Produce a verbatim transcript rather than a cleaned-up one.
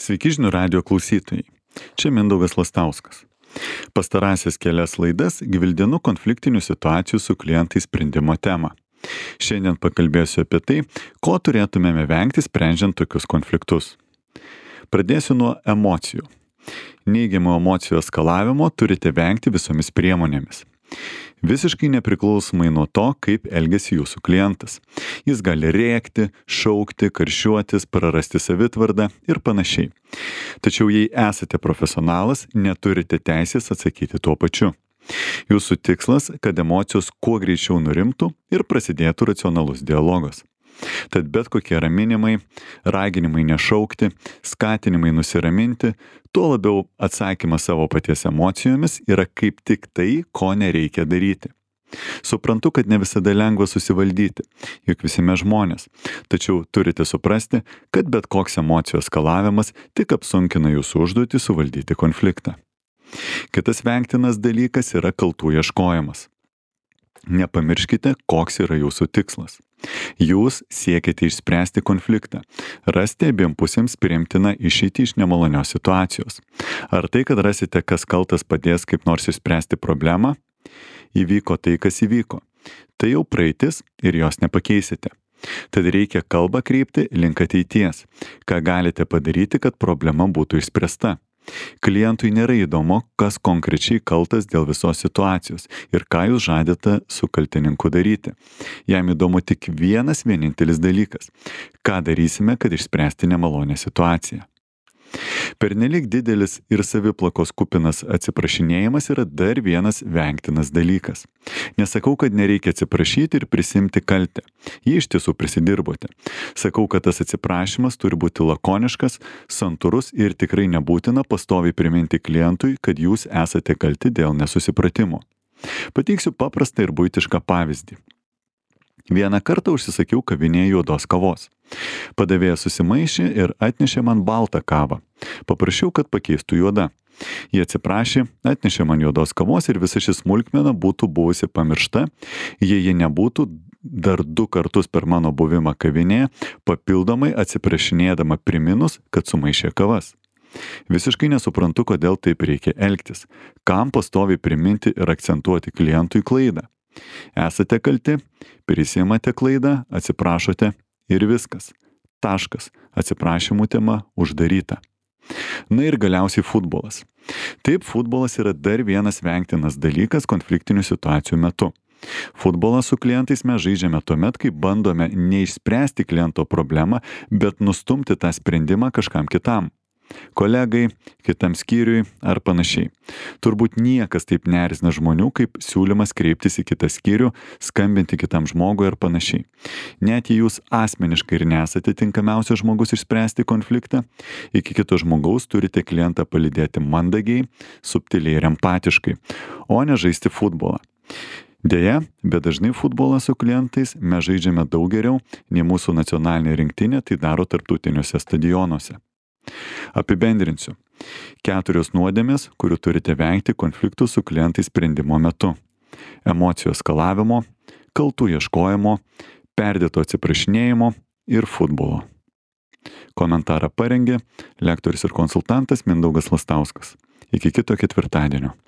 Sveiki žinių radijo klausytojai. Čia Mindaugas Lastauskas. Pastarąsias kelias laidas gvildenu konfliktinių situacijų su klientais sprendimo temą. Šiandien pakalbėsiu apie tai, ko turėtumėme vengti sprendžiant tokius konfliktus. Pradėsiu nuo emocijų. Neigiamų emocijų eskalavimo turite vengti visomis priemonėmis. Visiškai nepriklausomai nuo to, kaip elgiasi jūsų klientas. Jis gali rėkti, šaukti, karščiuotis, prarasti savitvardą ir panašiai. Tačiau jei esate profesionalas, neturite teisės atsakyti tuo pačiu. Jūsų tikslas, kad emocijos kuo greičiau nurimtų ir prasidėtų racionalus dialogas. Tad bet kokie raminimai, raginimai nešaukti, skatinimai nusiraminti, tuo labiau atsakymas savo paties emocijomis yra kaip tik tai, ko nereikia daryti. Suprantu, kad ne visada lengva susivaldyti, juk visi mes žmonės, tačiau turite suprasti, kad bet koks emocijų eskalavimas tik apsunkina jūsų užduotį suvaldyti konfliktą. Kitas vengtinas dalykas yra kaltų ieškojimas. Nepamirškite, koks yra jūsų tikslas. Jūs siekite išspręsti konfliktą, rasti abiem pusėms priimtiną išeitį iš nemalonios situacijos. Ar tai, kad rasite, kas kaltas padės kaip nors išspręsti problemą? Įvyko tai, kas įvyko. Tai jau praeitis ir jos nepakeisite. Tad reikia kalbą kreipti link ateities, ką galite padaryti, kad problema būtų išspręsta. Klientui nėra įdomu, kas konkrečiai kaltas dėl visos situacijos ir ką jūs žadate su kaltininku daryti. Jam įdomu tik vienas vienintelis dalykas – ką darysime, kad išspręsti nemalonę situaciją. Pernelyg didelis ir saviplakos kupinas atsiprašinėjimas yra dar vienas vengtinas dalykas. Nesakau, kad nereikia atsiprašyti ir prisimti kaltę. Jį iš tiesų prisidirbote. Sakau, kad tas atsiprašymas turi būti lakoniškas, santūrus ir tikrai nebūtina pastoviai priminti klientui, kad jūs esate kalti dėl nesusipratimo. Pateiksiu paprastą ir buitišką pavyzdį. Vieną kartą užsisakiau kavinėje juodos kavos. Padavėjas susimaišė ir atnešė man baltą kavą. Paprašiau, kad pakeistų juoda. Jie atsiprašė, atnešė man juodos kavos ir visa ši smulkmena būtų buvusi pamiršta, jei ji nebūtų dar du kartus per mano buvimą kavinėje, papildomai atsiprašinėdama priminus, kad sumaišė kavas. Visiškai nesuprantu, kodėl taip reikia elgtis. Kam pastoviai priminti ir akcentuoti klientui klaidą? Esate kalti, prisiimate klaidą, atsiprašote ir viskas. Taškas. Atsiprašymų tema uždaryta. Na ir galiausiai futbolas. Taip, futbolas yra dar vienas vengtinas dalykas konfliktinių situacijų metu. Futbolą su klientais mes žaidžiame tuomet, kai bandome neišspręsti kliento problemą, bet nustumti tą sprendimą kažkam kitam. Kolegai, kitam skyriui ar panašiai. Turbūt niekas taip neerzina žmonių, kaip siūlymas kreiptis į kitą skyrių, skambinti kitam žmogui ar panašiai. Net jei jūs asmeniškai ir nesate tinkamiausias žmogus išspręsti konfliktą, iki kito žmogaus turite klientą palydėti mandagiai, subtiliai ir empatiškai, o ne žaisti futbolą. Deja, bet dažnai futbolą su klientais mes žaidžiame daug geriau, nei mūsų nacionalinė rinktinė tai daro tarptautiniuose stadionuose. Apibendrinsiu. Keturios nuodėmės, kurių turite vengti konfliktų su klientais sprendimo metu. Emocijų eskalavimo, kaltų ieškojimo, perdėto atsiprašinėjimo ir futbolo. Komentarą parengė lektorius ir konsultantas Mindaugas Lastauskas. Iki kito ketvirtadienio.